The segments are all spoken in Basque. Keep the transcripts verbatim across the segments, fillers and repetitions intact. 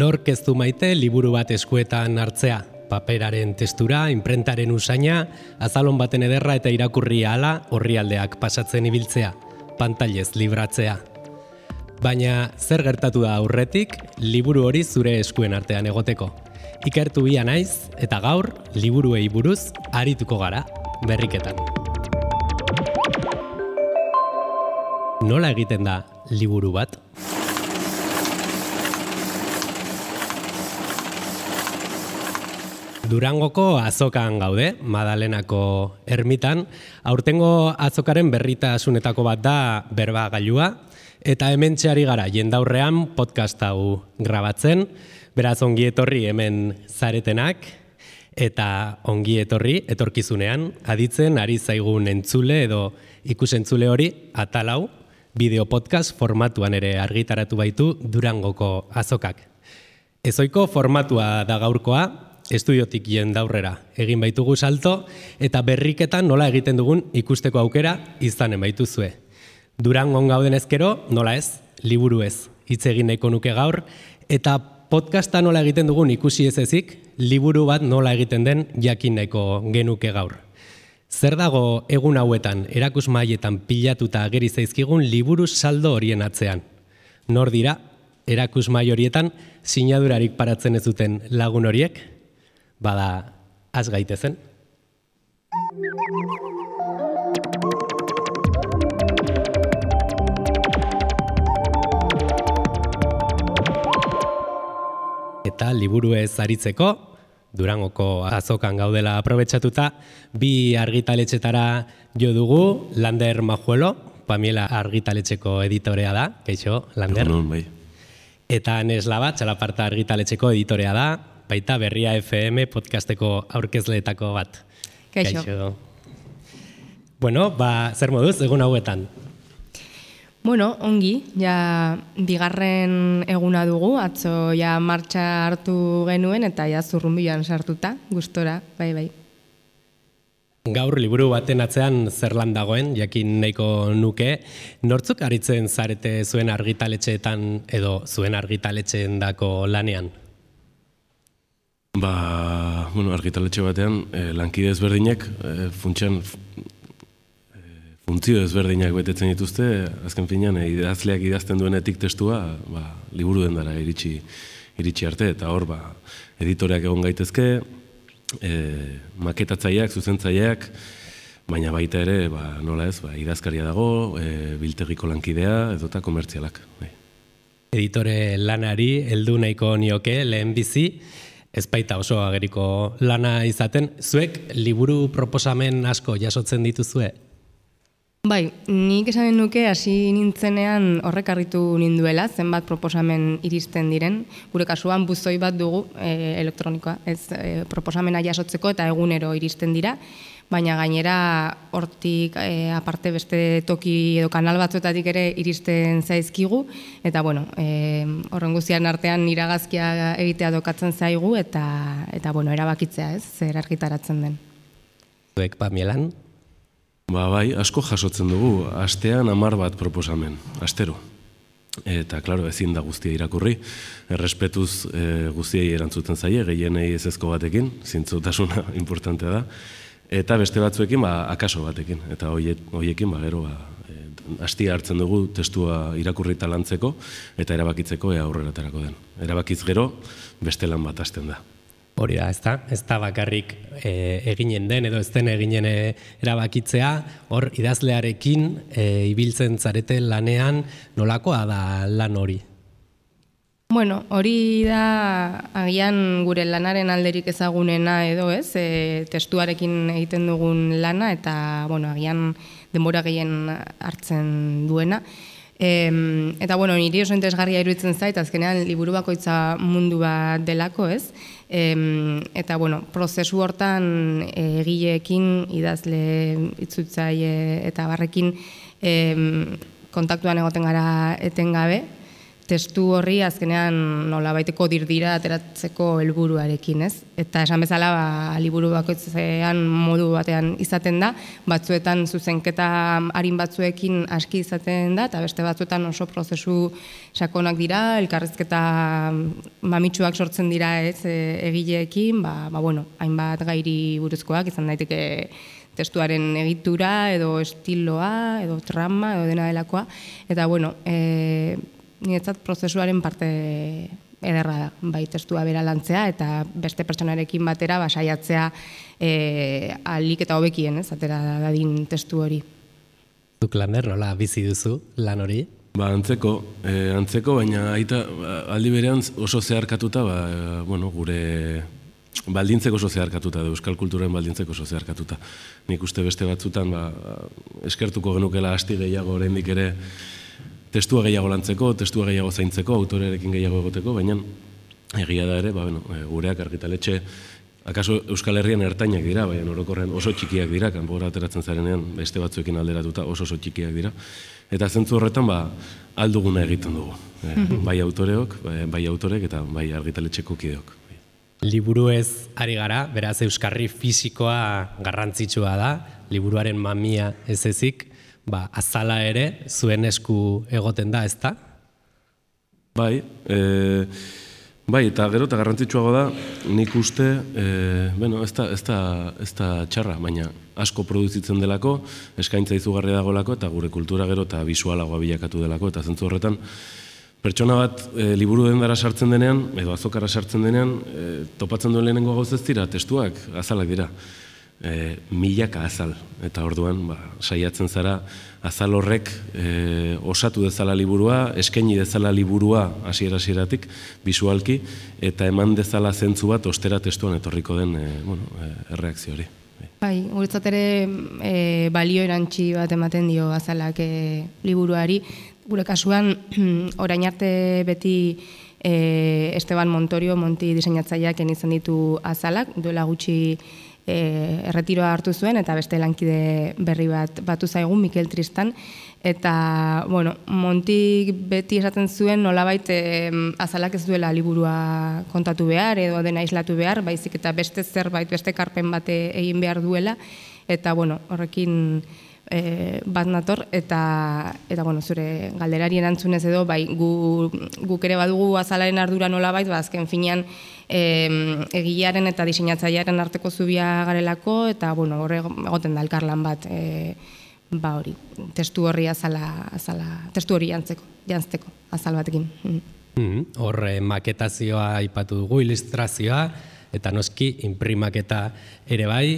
Nork ez du maite liburu bat eskuetan hartzea, paperaren testura, imprentaren usaina, azalon baten ederra eta irakurri ahala orrialdeak pasatzen ibiltzea, pantailez libratzea. Baina zer gertatu da aurretik, liburu hori zure eskuen artean egoteko. Ikertu bia naiz eta gaur liburuei buruz arituko gara berriketan. Nola egiten da liburu bat? Durangoko azokan gaude, Madalenako ermitan. Aurtengo azokaren berritasunetako bat da berbagailua, eta hementxe ari gara jendaurrean podcast hau grabatzen, beraz ongi etorri hemen zaretenak, eta ongi etorri etorkizunean aditzen ari zaigun entzule edo ikusentzule hori atal hau bideo podcast formatuan ere argitaratu baitu Durangoko azokak. Ezoiko formatua da gaurkoa, estudiotik jendaurrera egin baitugu salto eta berriketan nola egiten dugun ikusteko aukera izanen baituzue. Durangon gauden ezkero, nola ez, liburu ez, hitz egin nahiko nuke gaur, eta podcasta nola egiten dugun ikusi ez ezik, liburu bat nola egiten den jakin nahiko genuke gaur. Zer dago egun hauetan erakusmailetan pilatuta ageri zaizkigun liburu saldo horien atzean? Nor dira, erakusmai horietan sinadurarik paratzen ez duten lagun horiek? Bada, az gaitezen. Eta liburu ez aritzeko, Durangoko azokan gaudela aprobetxatuta, bi argitaletxetara jo dugu, Lander Majuelo, Pamiela argitaletxeko editorea da, kaixo, Lander. Egunon, bai. Eta Neslaba, Txalaparta argitaletxeko editorea da, baita Berria F M podcasteko aurkezleetako bat. Kaixo. Kaixo. Bueno, ba, zer moduz, egun hauetan? Bueno, ongi, ja bigarren eguna dugu, atzo ja martxa hartu genuen eta ja zurrunbilan sartuta, gustora, bai, bai. Gaur liburu baten atzean zer lan dagoen, jakin nahiko nuke, nortzuk aritzen zarete zuen argitaletxeetan edo zuen argitaletxeen dako lanean? Ba, bueno, argitaletxe batean, eh, lankide ezberdinak, eh, funtsean, funtzio ezberdinak betetzen dituzte, azken finean, eh, idazleak idazten duenetik testua, ba, liburu dendara iritsi, iritsi arte, eta hor, ba, editoreak egon gaitezke, eh, maketatzaileak, zuzentzaileak, baina baita ere, ba, nola ez, ba, idazkaria dago, eh, biltegiko lankidea, edota komertzialak. Bai. Editore lanari heldu nahiko nioke lehen bizi, ez baita oso ageriko lana izaten, zuek liburu proposamen asko jasotzen dituzue? Bai, nik esanen nuke hasi nintzenean horrek harritu ninduela, zenbat proposamen iristen diren. Gure kasuan buzoi bat dugu e, elektronikoa, ez e, proposamena jasotzeko eta egunero iristen dira, baina gainera hortik e, aparte beste toki edo kanal batzuetatik ere iristen zaizkigu, eta bueno, e, horren guztian artean iragazkia egitea dokatzen zaigu, eta, eta bueno, erabakitzea ez, zer argitaratzen den. Zuek, Pamielan? Ba, bai, asko jasotzen dugu, astean hamar bat proposamen, astero. Eta, klaro, ezin da guztia irakurri, errespetuz e, guztiei erantzuten zaie, gehienei ezezko batekin, zintzotasuna importantea da, eta beste batzuekin, ba, akaso batekin, eta hoiekin, ba, gero, ba, e, hastia hartzen dugu testua irakurri talantzeko, eta erabakitzeko ea aurrera aterako den. Erabakiz gero, beste lan bat hasten da. Hori da, ez da, ez da bakarrik e, eginen den edo ez den eginen e, erabakitzea, hor idazlearekin e, ibiltzen zarete lanean nolakoa da lan hori? Bueno, hori da agian gure lanaren alderik ezagunena edo ez, e, testuarekin egiten dugun lana eta bueno, agian denbora gehien hartzen duena. E, eta bueno, niri oso interesgarria iruditzen zait, azkenean liburu bakoitza mundu bat delako ez, e, eta bueno, prozesu hortan egileekin, idazle, itzultzaile eta barrekin e, kontaktuan egoten gara etengabe, testu horri azkenean nolabaiteko dirdira ateratzeko helburuarekin, ez? Eta esan bezala, ba, liburu bakoitzean modu batean izaten da, batzuetan zuzenketa arin batzuekin aski izaten da, eta beste batzuetan oso prozesu sakonak dira, elkarrizketa mamitsuak sortzen dira, ez, egileekin, ba, ba bueno, hainbat gairi buruzkoak izan daiteke testuaren egitura, edo estiloa, edo trama, edo dena delakoa, eta bueno, e, niretzat prozesuaren parte ederra da, bai testua bera lantzea, eta beste pertsonarekin batera basaiatzea e, alik eta hobekien, ez, atera dadin testu hori. Zuk Lander, nola bizi duzu lan hori? Ba, antzeko, eh, antzeko, baina aita aldi berean oso zeharkatuta, ba, bueno, gure baldintzeko oso zeharkatuta, da, euskal kulturen baldintzeko oso zeharkatuta. Nik uste beste batzutan, ba, eskertuko genukela asti gehiago oraindik ere testua gehiago lantzeko, testua gehiago zaintzeko, autorearekin gehiago egoteko, baina egia da ere, ba, bueno, gureak argitaletxe, akaso Euskal Herrian ertainak dira, baina orokorren oso txikiak dira, kanpora ateratzen zarenean beste batzuekin alderatuta oso oso txikiak dira. Eta zentzu horretan, ba, alduguna egiten dugu. Bai autoreok, bai autorek eta bai argitaletxeko kideok. Liburu ez ari gara, beraz euskarri fisikoa garrantzitsua da, liburuaren mamia ez ezik, ba, azala ere zuen esku egoten da, ez da? Bai, e, bai, eta gero eta garrantzitsuago da, nik uste, e, bueno, ez da, ez da, ez da txarra, baina asko produzitzen delako, eskaintza izugarri dagolako, eta gure kultura gero eta bisualagoa bilakatu delako, eta zentzu horretan, pertsona bat e, liburu dendara sartzen denean, edo azokara sartzen denean, e, topatzen duen lehenengo gauz ez dira, testuak, azalak dira. E, milaka azal, eta orduan ba, saiatzen zara azal horrek e, osatu dezala liburua, eskaini dezala liburua hasiera-hasieratik bisualki, eta eman dezala zentzu bat ostera testuan etorriko den e, bueno, e, erreakzio hori. Bai, guretzat ere e, balio erantzi bat ematen dio azalak e, liburuari. Gure kasuan, orain arte beti e, Esteban Montorio, Monti diseinatzaileak izan ditu azalak, duela gutxi e, erretiroa hartu zuen, eta beste lankide berri bat batu zaigun, Mikel Tristan, eta, bueno, Monti beti esaten zuen nolabait e, azalak ez duela liburua kontatu behar, edo dena islatu behar, baizik eta beste zerbait, beste karpen bate egin behar duela, eta, bueno, horrekin E, bat nator, eta, eta bueno, zure galderari erantzunez edo, bai, gu, guk ere badugu azalaren ardura nolabait, ba, azken finean e, egilearen eta diseinatzailearen arteko zubia garelako, eta, bueno, horre egoten da elkarlan bat, e, ba hori, testu horri azala, azala testu hori jantzeko, jantzeko, azal batekin. Mm, horre maketazioa aipatu dugu, ilustrazioa, eta noski, inprimaketa ere bai,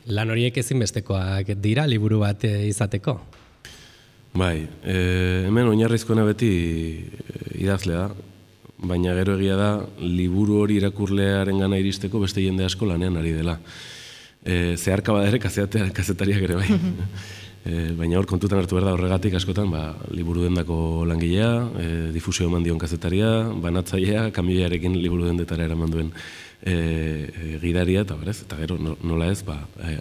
lan horiek ezinbestekoak dira, liburu bat izateko? Bai, e, hemen oinarrizkoena beti idazlea da, baina gero egia da, liburu hori irakurlearen gana iristeko beste jende asko lanean ari dela. E, zeharka bada ere kazetariak ere bai. E, baina hor kontutan hartu behar da horregatik askotan, ba, liburu dendako langilea, e, difusio eman dion kazetaria, banatzailea, kamioiarekin liburu dendetara eraman duen E, e, gidaria, eta berez, eta gero nola ez, ba,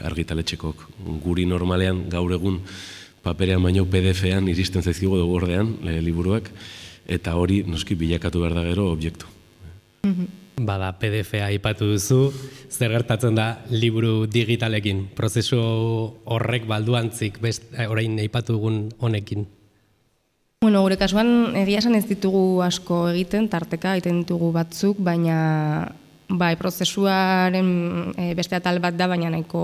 argitaletxekok guri normalean gaur egun paperean baino P D F-ean iristen zaizkigu dugu ordean e, liburuak, eta hori noski bilakatu behar da gero objektu. Bada, P D F-a aipatu duzu, zer gertatzen da liburu digitalekin, prozesu horrek balduantzik, best, orain aipatu dugun honekin? Bueno, gure kasuan egia esan ez ditugu asko egiten, tarteka egiten ditugu batzuk, baina bai, prozesuaren e, beste atal bat da, baina nahiko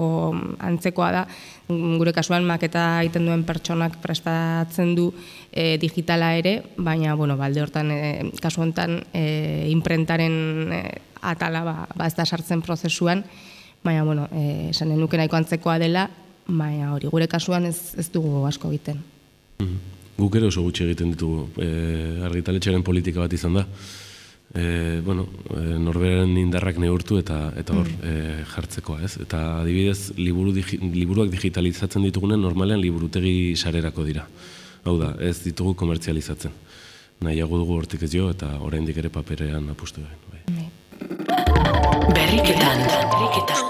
antzekoa da. Gure kasuan maketa egiten duen pertsonak prestatzen du e, digitala ere, baina, bueno, balde hortan, e, kasu honetan, e, imprentaren e, atala ba, ba ez da sartzen prozesuan, baina, bueno, e, esanen nuke nahiko antzekoa dela, baina hori, gure kasuan ez, ez dugu asko egiten. Mm-hmm. Guk ere oso gutxi egiten ditugu, e, argitaletxearen politika bat izan da. E, bueno, e, norberaren indarrak neurtu eta eta hor e, jartzekoa, ez? Eta adibidez, liburu digi, liburuak digitalizatzen ditugunen normalean liburutegi sarerako dira. Hau da, ez ditugu komertzializatzen. Nahiago dugu hortik ez jo eta oraindik ere paperean apustu egin. Bai. Berriketan, berriketan.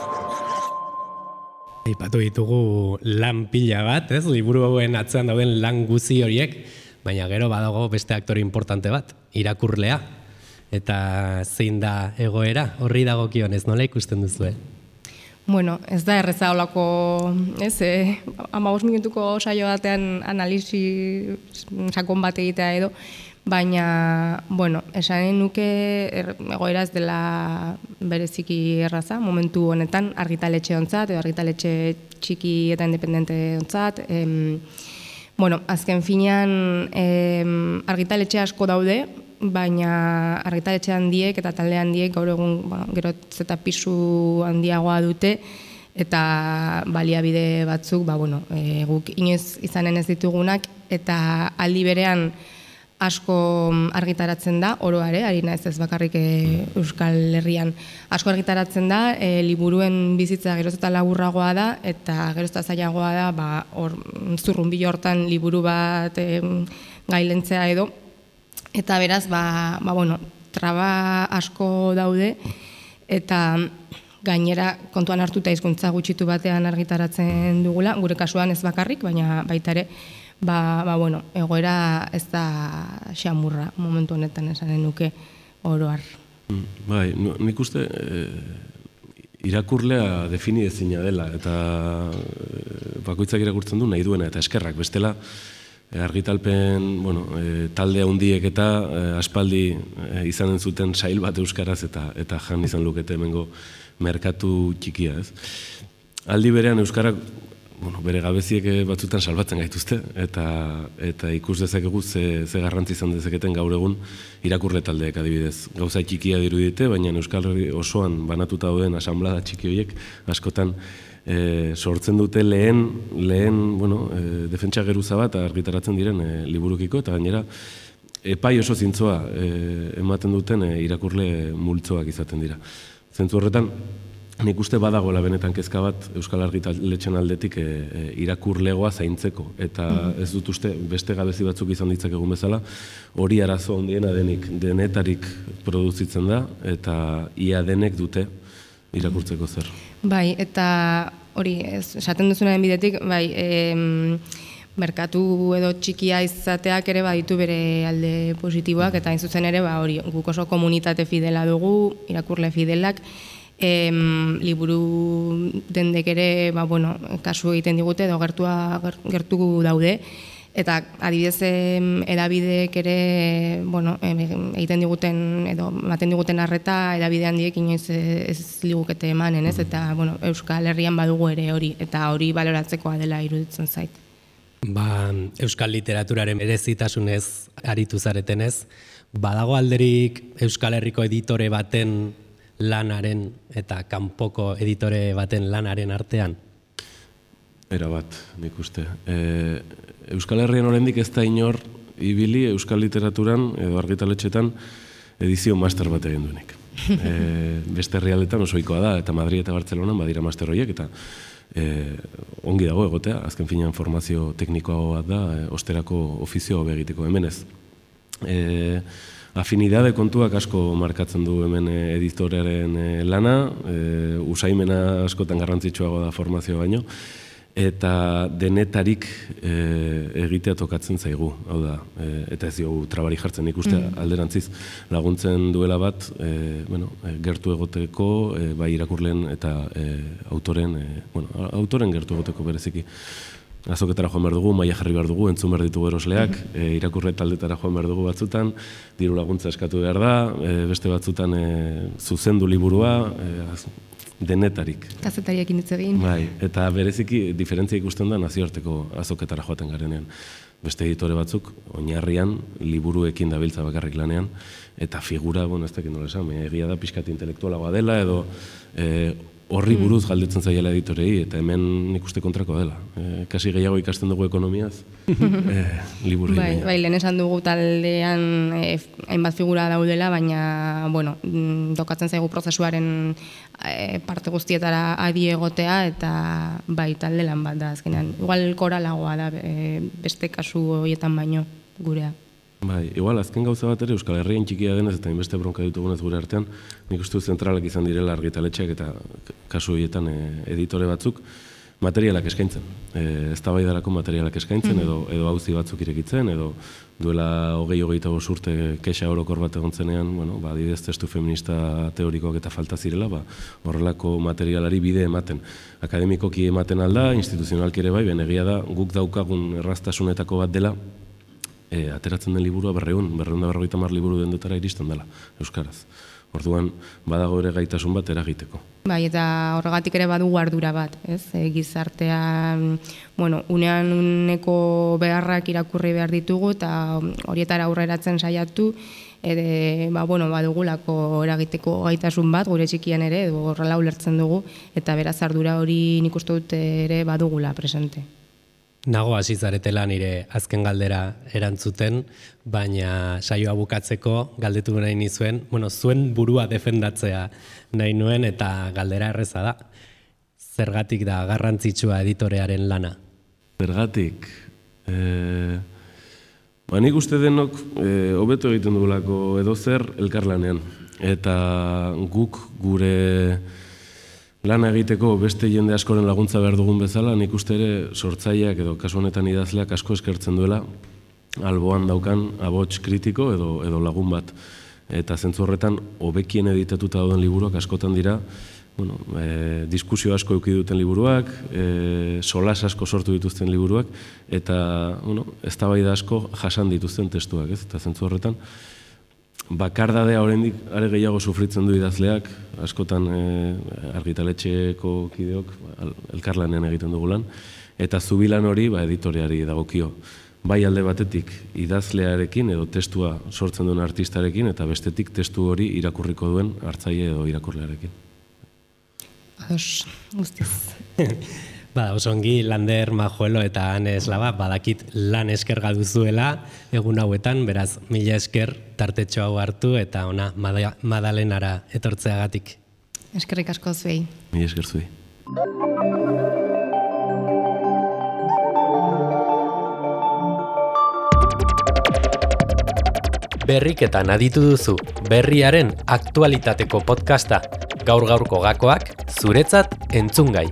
Aipatu ditugu lan pila bat, ez? Liburu hauen atzean dauden lan guzi horiek, baina gero badago beste aktore importante bat. irakurlea, eta zein da egoera, horri dagokionez, nola ikusten duzue? Bueno, ez da erreza olako, ez, eh, hamabost minutuko saio batean analisi sakon bat egitea edo, baina, bueno, esanen nuke er, egoera ez dela bereziki erraza, momentu honetan argitaletxe ontzat, edo argitaletxe txiki eta independente ontzat. Em, bueno, azken finean em, argitaletxe asko daude, baina argitaletxe handiek eta talde handiek gaur egun bueno, gerotz eta pisu handiagoa dute, eta baliabide batzuk, ba, bueno, e, guk inoiz izanen ez ditugunak, eta aldi berean asko argitaratzen da, oroare, ari naiz ez bakarrik e, Euskal Herrian, asko argitaratzen da, e, liburuen bizitza geroz eta laburragoa da, eta geroz eta zailagoa da, ba, or, zurrunbilo hortan liburu bat e, gailentzea edo, eta beraz, ba, ba, bueno, traba asko daude, eta gainera kontuan hartuta hizkuntza gutxitu batean argitaratzen dugula, gure kasuan ez bakarrik, baina baita ere, ba, ba, bueno, egoera ez da xamurra momentu honetan esanen nuke oroar. Bai, nik uste e, irakurlea defini ezina dela, eta e, bakoitzak irakurtzen du nahi duena, eta eskerrak, bestela, argitalpen, bueno, e, talde handiek eta e, aspaldi e, izanen zuten sail bat euskaraz eta eta jan izan lukete hemengo merkatu txikia, ez. Aldi berean euskarak, bueno, bere gabeziek batzutan salbatzen gaituzte eta eta ikus dezakegu ze ze garrantzi izan dezaketen gaur egun irakurle taldeek adibidez. Gauza txikia dirudite, baina Euskal Herri osoan banatuta dauden asanblada txiki horiek askotan E, sortzen dute lehen, lehen bueno, e, defentsa geruza bat argitaratzen diren e, liburukiko, eta gainera epai oso zintzoa e, ematen duten e, irakurle multzoak izaten dira. Zentzu horretan, nik uste badagoela benetan kezka bat Euskal Argitaletxen aldetik e, e, irakurlegoa zaintzeko, eta ez dut uste beste gabezi batzuk izan ditzak egun bezala, hori arazo handiena denik, denetarik produzitzen da, eta ia denek dute irakurtzeko zer. Bai, eta hori, ez, esaten duzunaren bidetik, bai, em, merkatu edo txikia izateak ere baditu bere alde positiboak, eta hain zuzen ere, ba, hori, guk oso komunitate fidela dugu, irakurle fidelak, em, liburu dendek ere, ba, bueno, kasu egiten digute, edo gertua, gertu daude, eta adibidez edabideek ere, bueno, egiten diguten edo ematen diguten arreta edabide handiek inoiz ez ligukete emanen, ez? Eta, bueno, Euskal Herrian badugu ere hori, eta hori baloratzekoa dela iruditzen zait. Ba, Euskal literaturaren berezitasunez aritu zaretenez, badago alderik Euskal Herriko editore baten lanaren eta kanpoko editore baten lanaren artean? Era bat, nik uste. E, Euskal Herrian oraindik ez da inor ibili Euskal Literaturan edo argitaletxetan edizio master bat egin duenik. E, beste herrialdetan oso ohikoa da, eta Madrid eta Bartzelonan badira master horiek, eta e, ongi dago egotea, azken finean formazio teknikoa bat da, e, osterako ofizio hobe egiteko hemen ez. E, afinidade kontuak asko markatzen du hemen editorearen lana, e, usaimena askotan garrantzitsuago da formazio baino, eta denetarik e, egitea tokatzen zaigu, hau da, e, eta ez diogu trabari jartzen ikuste mm. alderantziz laguntzen duela bat, e, bueno, e, gertu egoteko, e, bai irakurleen eta e, autoren, e, bueno, autoren gertu egoteko bereziki. Azoketara joan behar dugu, maila jarri behar dugu, entzun behar ditugu erosleak, mm. e, irakurle taldetara joan behar dugu batzutan, diru laguntza eskatu behar da, e, beste batzutan e, zuzendu liburua, e, denetarik. Kazetariekin hitz egin. Bai, eta bereziki diferentzia ikusten da nazioarteko azoketara joaten garenean. Beste editore batzuk, oinarrian, liburuekin dabiltza bakarrik lanean, eta figura, bueno, ez dakit nola esan, egia da pixkat intelektualagoa dela, edo e, horri buruz galdetzen zaiela editorei, eta hemen nik uste kontrakoa dela. E, kasi gehiago ikasten dugu ekonomiaz, e, liburui. Bai, bai, lehen esan dugu taldean e, hainbat figura daudela, baina, bueno, dokatzen zaigu prozesuaren e, parte guztietara adi egotea, eta bai, talde lan bat da, azkenean. Igual koralagoa da e, beste kasu horietan baino gurea. Bai, igual, azken gauza bat ere Euskal Herrian txikia denez eta inbeste bronka ditugunez gure artean, nik uste zentralak izan direla argitaletxeak eta kasu horietan e, editore batzuk, materialak eskaintzen. E, eztabaidarako materialak eskaintzen, edo, edo auzi batzuk irekitzen, edo duela hogei hogeita bost urte kexa orokor bat egon zenean, bueno, ba, adibidez testu feminista teorikoak eta falta zirela, ba, horrelako materialari bide ematen. Akademikoki ematen alda, instituzionalki ere bai, ben egia da, guk daukagun erraztasunetako bat dela, e, ateratzen den liburua berreun, berreun da berrogeita hamar liburu dendetara iristen dela, euskaraz. Orduan, badago ere gaitasun bat eragiteko. Bai, eta horregatik ere badugu ardura bat, ez? E, gizartean, bueno, unean uneko beharrak irakurri behar ditugu, eta horietara aurreratzen saiatu, ere, ba, bueno, badugulako eragiteko gaitasun bat, gure txikian ere, edo horrela ulertzen dugu, eta beraz ardura hori nik uste dut ere badugula presente. Nago hasi zaretela nire azken galdera erantzuten, baina saioa bukatzeko galdetu nahi nizuen, bueno, zuen burua defendatzea nahi nuen eta galdera erreza da. Zergatik da garrantzitsua editorearen lana? Zergatik? E, ba, nik uste denok e, hobeto egiten dugulako edo zer elkarlanean. Eta guk gure lan egiteko beste jende askoren laguntza behar dugun bezala, nik uste ere sortzaileak edo kasu honetan idazleak asko eskertzen duela alboan daukan abots kritiko edo, edo lagun bat. Eta zentzu horretan, hobekien editatuta dauden liburuak askotan dira, bueno, e, diskusio asko eduki duten liburuak, e, solas asko sortu dituzten liburuak, eta bueno, eztabaida asko jasan dituzten testuak, ez? Eta zentzu horretan, bakardadea oraindik are gehiago sufritzen du idazleak, askotan e, argitaletxeko kideok elkarlanean egiten dugu lan, eta zubilan hori ba, editoreari dagokio. Bai alde batetik idazlearekin edo testua sortzen duen artistarekin, eta bestetik testu hori irakurriko duen hartzaile edo irakurlearekin. Ados, guztiz. Ba, osongi Lander, Majuelo eta Ane Eslaba badakit lan eskerga duzuela egun hauetan, beraz mila esker tartetxo hau hartu eta ona Madalenara etortzeagatik. Eskerrik asko zuei. Mila esker zuei. Berriketan aditu duzu, berriaren aktualitateko podcasta, gaur-gaurko gakoak zuretzat entzungai.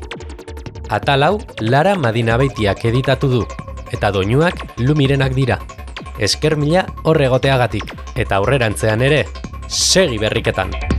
Atal hau Lara Madinabeitiak editatu du, eta doinuak Lumirenak dira. Esker mila hor egoteagatik, eta aurrerantzean ere, segi berriketan!